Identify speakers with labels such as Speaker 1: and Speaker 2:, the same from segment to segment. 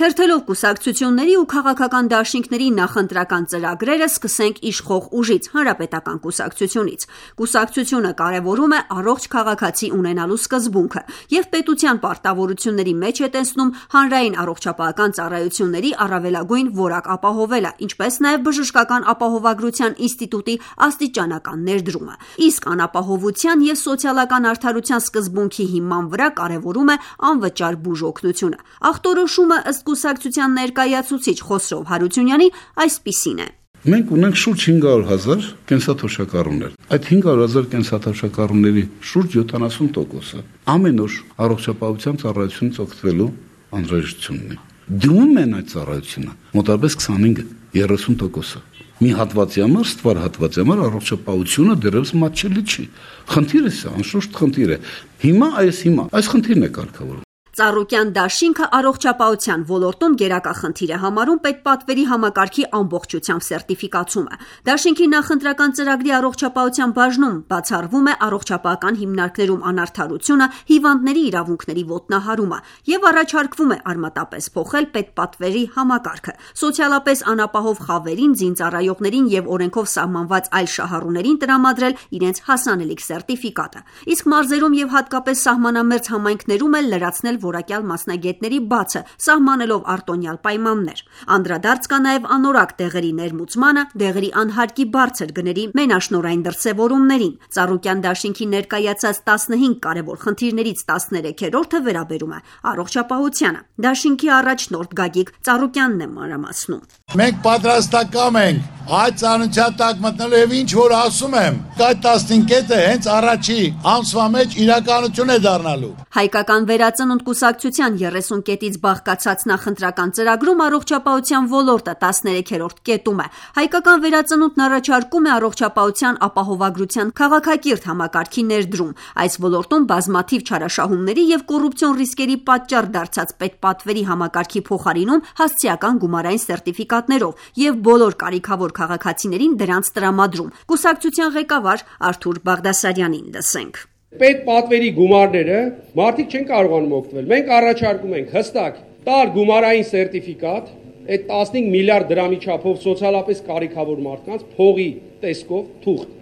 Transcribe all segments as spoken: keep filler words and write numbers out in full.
Speaker 1: Թերթելով կուսակցությունների ու քաղաքական դաշինքների նախընտրական ծրագրերը սկսենք իշխող ուժից, հանրապետական կուսակցությունից։ Կուսակցությունը կարևորում է առողջ քաղաքացի ունենալու սկզբունքը և պետության պարտավորությունների մեջ է տեսնում հանրային առողջապահական ծառայությունների առավելագույն որակ ապահովելը, ինչպես նաև բժշկական ապահովագրության ինստիտուտի աստիճանական ներդրումը։ Իսկ անապահովության և սոցիալական արդարության սկզբունքի հիման վրա կարևորում է անվճար բուժօգնությունը։ Ախտորոշումը ըստ կուսակցության ներկայացուցիչ Խոսրով Հարությունյանի այսպիսին է.
Speaker 2: Մենք ունենք շուրջ հինգ հարյուր հազար կենսաթոշակառուներ։ Այդ հինգ հարյուր հազար կենսաթոշակառուների շուրջ յոթանասուն տոկոսը ամեն օր առողջապահության ծառայությունից օգտվելու անհրաժեշտություն ունի։ Դիմում են այդ ծառայությունը մոտավորապես քսանհինգ երեսուն տոկոսը։ Մի հատվածի համար, ստվար հատվածի համար առողջապահությունը դեռևս մատչելի չի։ Խնդիրը սա, անշուշտ խնդիր է։ Հիմա այս հիմա այս խնդիրն է կարգավորվում։
Speaker 1: Ծառուկյան դաշինքը առողջապահության ոլորտում գերակա խնդիր է համարում պետպատվերի համակարգի ամբողջությամբ սերտիֆիկացումը։ Դաշինքի նախընտրական ծրագրի առողջապահության բաժնում բացառվում է առողջապահական հիմնարկներում անարդարությունը, հիվանդների իրավունքների ոտնահարումը և առաջարկվում է արմատապես փոխել պետպատվերի համակարգը։ Սոցիալապես անապահով խավերին, զինծառայողներին և օրենքով սահմանված այլ շահառուներին տրամադրել իրենց հասանելիք սերտիֆիկատը։ Իսկ մարզերում և հատկապես սահմանամերձ համայնքներում էլ լրացնել որակյալ մասնագետների բացը, սահմանելով արտոնյալ պայմաններ։ Անդրադարձ կա նաև անորակ դեղերի ներմուծմանը, դեղերի անհարկի բարձր գների մենաշնորհային դրսևորումներին։ Ծառուկյան դաշինքի ներկայացած տասնհինգ կարևոր խնդիրներից տասներեքերորդը վերաբերում է առողջապահությանը։ Դաշինքի առաջնորդ Գագիկ Ծառուկյանն է մանրամասնում.
Speaker 3: Մենք պատրաստակամ ենք այդ ծանոթության տակ մտնելու եւ ինչ որ ասում եմ, այդ տասնհինգ կետը հենց առաջի ամսվա մեջ իրականություն է դառնալու։
Speaker 1: Հայկական վերածնունդ կուսակցության երեսուն կետից բաղկացած նախընտրական ծրագրում առողջապահության ոլորտը տասներեքերորդ կետում է։ Հայկական վերածնունդն առաջարկում է առողջապահության ապահովագրության քաղաքակիրթ համակարգի ներդրում։ Այս ոլորտում բազմաթիվ չարաշահումների եւ կոռուպցիոն ռիսկերի պատճառ դարձած պետպատվերի համակարգի փոխարինում հասցեական գումարային սերտիֆիկատներով եւ բոլոր կարիքավոր քաղաքացիներին դրանց տրամադրում։ Կուսակցության ղեկավար Արթուր Բաղդասարյանին լսենք.
Speaker 4: Պետպատվերի գումարները մարդիկ չեն կարողանում օգտվել։ Մենք առաջարկում ենք հստակ տալ գումարային սերտիֆիկատ, այդ տասնհինգ միլիարդ դրամի չափով սոցիալապես կարիքավոր մարդկանց փողի տեսքով թուղթ։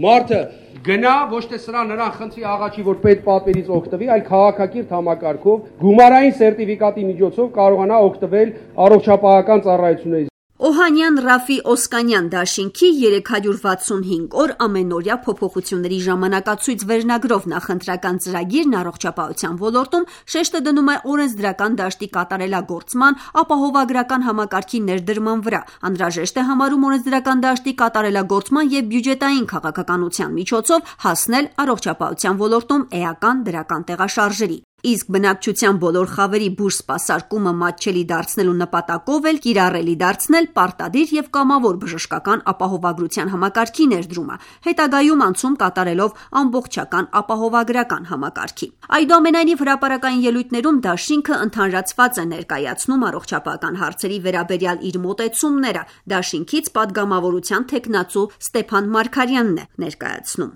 Speaker 4: Մարդը գնա ոչ թե սրա նրան խնդրի աղաչի, որ պետպատվերից օգտվի, այլ քաղաքակիրթ համակարգով գումարային սերտիֆիկատի միջոցով կարողանա օգտվել առողջապահական ծառայություններից։
Speaker 1: Օհանյան Ռաֆի Օսկանյան դաշինքի երեք հարյուր վաթսունհինգ օր ամենօրյա փոփոխությունների ժամանակացույց վերնագրով նախընտրական ծրագիրն առողջապահության ոլորտում շեշտը դնում է օրենսդրական դաշտի կատարելագործման, ապահովագրական համակարգի ներդրման վրա։ Անհրաժեշտ է համարում օրենսդրական դաշտի կատարելագործման և բյուջետային քաղաքականության միջոցով հասնել առողջապահության ոլորտում էական դրական տեղաշարժերի։ Իսկ բնակչության բոլոր խավերի բուժ սպասարկումը մատչելի դարձնելու նպատակով էլ կիրառելի դարձնել պարտադիր և կամավոր բժշկական ապահովագրության համակարգի ներդրումը, հետագայում անցում կատարելով ամբողջական ապահովագրական համակարգի։ Այդուամենայնիվ հրապարակային ելույթներում դաշինքը ընդհանրացված է ներկայացնում առողջապահական հարցերի վերաբերյալ իր մոտեցումները։ Դաշինքից պատգամավորության թեկնածու Ստեփան Մարգարյանն է ներկայացնում.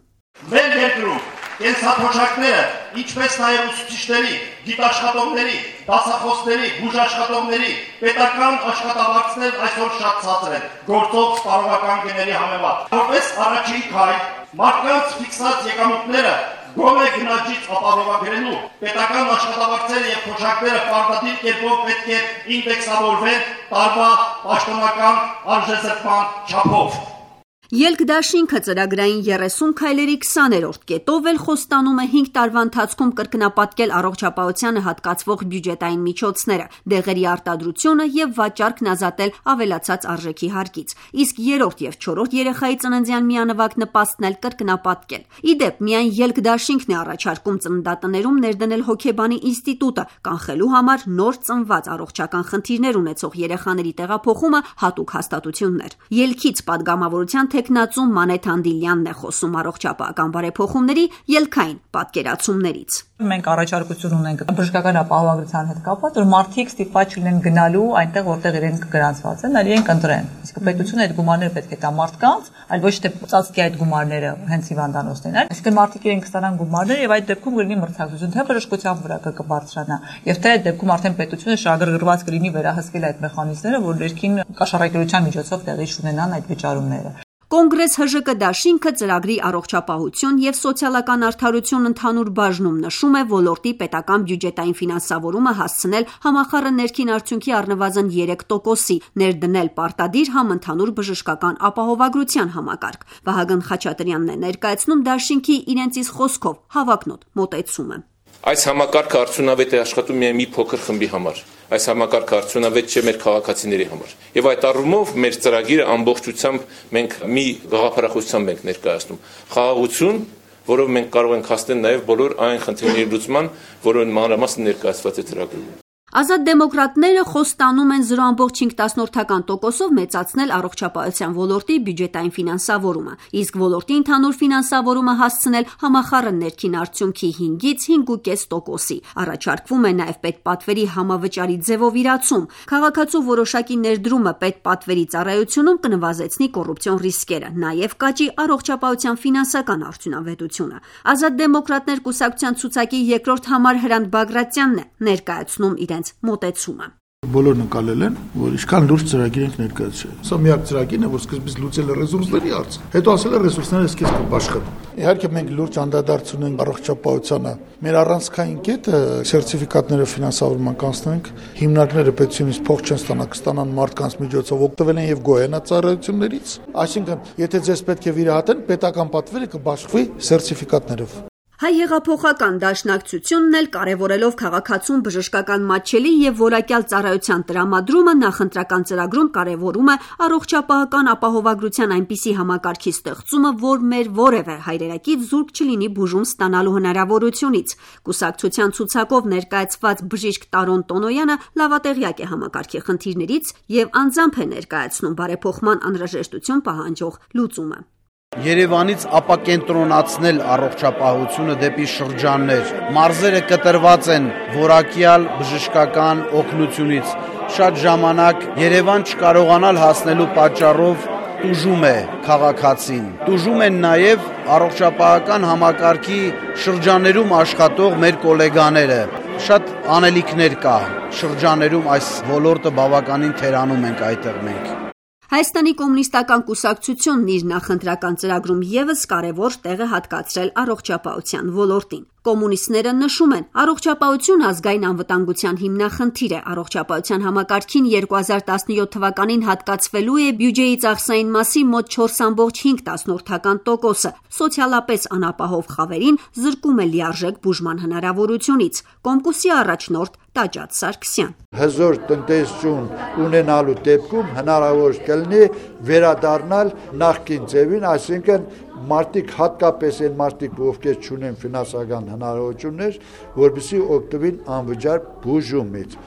Speaker 5: Մեր երկրում կենսաթոշակները, ինչպես նաև ուսուցիչների, գիտաշխատողների, դասախոսների, բուժաշխատողների, պետական աշխատավարձներ այսօր շատ ցածր են, գործող սպառողական գների համեմատ։ Որպես առաջին քայլ մարդկանց ֆիքսած եկամուտները գոնե գնաճից ապահովագրելու պետական աշխատավարձերը և թոշակները պարտադիր կերպով պետք է ինդեքսավորվեն տարվա պաշտոնական արժեզրկման չափով։
Speaker 1: Ելք դաշինքը ծրագրային երեսուն քայլերի քսաներորդ կետով էլ խոստանում է հինգ տարվա ընթացքում կրկնապատկել առողջապահությանը հատկացվող բյուջետային միջոցները, դեղերի արտադրությունը և վաճառքն ազատել ավելացած արժեքի հարկից, իսկ երրորդ և չորրորդ երեխայի ծննդյան միանվագ նպաստն էլ կրկնապատկել։ Ի դեպ, միայն ելք դաշինքն է առաջարկում ծննդատներում ներդնել հոգեբանի ինստիտուտը, կանխելու համար նոր ծնված առողջական խնդիրներ ունեցող երեխաների տեղափոխումը հատուկ հաստատություններ։ Ելքից պատգամավորության թեկնածու Մանեթ Անդիլյանն է խոսում առողջապահական բարեփոխումների ելքային պատկերացումներից։
Speaker 6: Մենք առաջարկություն ունենք բժշկական ապահովագրության հետ կապված, որ մարդիկ ստիպված չլինեն գնալու այնտեղ, որտեղ իրենք գրանցված են, այլ իրենք ընտրեն։ Իսկ պետությունը այդ գումարները պետք է տա մարդկանց, այլ ոչ թե ծածկի այդ գումարները հենց հիվանդանոցներին, այլ այսինքն մարդիկ իրենք ստանան գումարները եւ այդ դեպքում կլինի մրցակցություն, թե բժշկության վրա կբարձրանա, եւ թե այդ դեպքում արդեն պետությունը շահագրգռված կլինի վերահսկել այդ մեխանիզմները, որ ներքին կաշառակերության միջոցով տեղի ունենան այդ վճարումները։
Speaker 1: Կոնգրես ՀԺԿ դաշինքը ծրագրի առողջապահություն եւ սոցիալական արդարություն ընդհանուր բաժնում նշում է ոլորտի պետական բյուջետային ֆինանսավորումը հասցնել համախառն ներքին արդյունքի առնվազն երեք տոկոսի, ներդնել պարտադիր համընդհանուր բժշկական ապահովագրության համակարգ։ Վահագն Խաչատրյանն է ներկայացնում դաշինքի իրենց իսկ խոսքով հավակնոտ մոտեցումը։
Speaker 7: Այս համակարգը արդյունավետ է աշխատում միայն մի փոքր խմբի համար։ Այս համակարգը արդյունավետ չէ մեր քաղաքացիների համար։ Եվ այդ առումով մեր ծրագիրը ամբողջությամբ մենք մի գաղափարախոսությամբ ենք ներկայացնում։ Խաղաղություն, որով մենք կարող ենք հասնել նաև բոլոր այն խնդիրների լուծման, որոնց մանրամասն ներկայացված է ծրագրում։
Speaker 1: Ազատ դեմոկրատները խոստանում են զրո ամբողջ հինգ տոկոսով մեծացնել առողջապահության ոլորտի բյուջետային ֆինանսավորումը, իսկ ոլորտի ընդհանուր ֆինանսավորումը հասցնել համախառն ներքին արդյունքի հինգից հինգ ու կես տոկոսի։ Առաջարկվում է նաև պետպատվերի համավճարի ձևով իրացում։ Քաղաքացու որոշակի ներդրումը պետպատվերի ծառայությունում կնվազեցնի կոռուպցիոն ռիսկերը, նաև կաճի առողջապահության ֆինանսական արդյունավետությունը։ Ազատ դեմոկրատներ կուսակցության ցուցակի երկրորդ համար Հրանտ Բագրատյանն է ներկայացնում իրենց մոտեցումը։
Speaker 8: Բոլորն ընկալել են, որ ինչքան լուրջ ծրագիր ենք ներկայացրել։ Սա միակ ծրագիրն է, որ սկզբից լուծել է ռեսուրսների հարցը, հետո ասել է ռեսուրսները սկիզբ կբաշխեն։ Իհարկե մենք լուրջ անդրադարձ ունենք առողջապահությանը։ Մեր առանցքային կետը սերտիֆիկատները ֆինանսավորման կանցնենք, հիմնարկները պետությունից փող չեն ստանա, կստանան մարդկանց միջոցով, օգտվել են եւ գոհենացարություններից։ Այսինքն, եթե ձեզ պետք է վիրահատեն, պետական պատվերը կբաշխվի սերտիֆիկատներով։
Speaker 1: Հայ հեղափոխական դաշնակցությունն էլ կարևորելով քաղաքացուն բժշկական մատչելի եւ որակյալ ծառայության տրամադրումը նախընտրական ծրագրում կարևորում է առողջապահական ապահովագրության այնպիսի համակարգի ստեղծումը, որ մեր որևէ հայրենիքից զուրկ չլինի բուժում ստանալու հնարավորությունից։ Կուսակցության ցուցակով ներկայացված բժիշկ Տարոն Տոնոյանը լավատեղյակ է համակարգի խնդիրներից եւ անձամբ է ներկայացնում բարեփոխման անհրաժեշտություն պահանջող լուծումը։
Speaker 9: Երևանից ապակենտրոնացնել առողջապահությունը դեպի շրջաններ։ Մարզերը կտրված են որակյալ բժշկական օգնությունից։ Շատ ժամանակ Երևան չկարողանալ հասնելու պատճառով տուժում է քաղաքացին։ Տուժում են նաև առողջապահական համակարգի շրջաններում աշխատող մեր գոլեգաները։ Շատ անելիքներ կա շրջաններում, այս ոլորտը բավականին թերանում ենք այդտեղ մենք։
Speaker 1: Հայաստանի կոմունիստական կուսակցությունն իր նախընտրական ծրագրում ևս կարևոր տեղ է հատկացրել առողջապահության ոլորտին։ Կոմունիստները նշում են, առողջապահություն ազգային անվտանգության հիմնախնդիր է, առողջապահության համակարգին երկու հազար տասնյոթ թվականին հատկացվելու է բյուջեի ծախսային մասի մոտ չորս ամբողջ հինգ տոկոսը, սոցիալապես անապահով խավերին զրկում է լիարժեք բուժման հնարավորությունից։ Կոմկուսի առաջնորդ Տաճատ Սարգսյան։
Speaker 3: Հզոր տնտեսություն ունենալու դեպքում հնարավոր կլինի վերադառնալ նախկին ձևին, այսինքն մարդիկ հատկապես այն մարդիկ, ովքեր չունեն ֆինանսական հնարավորություններ, որպեսզի օգտվեն անվճար բուժումից։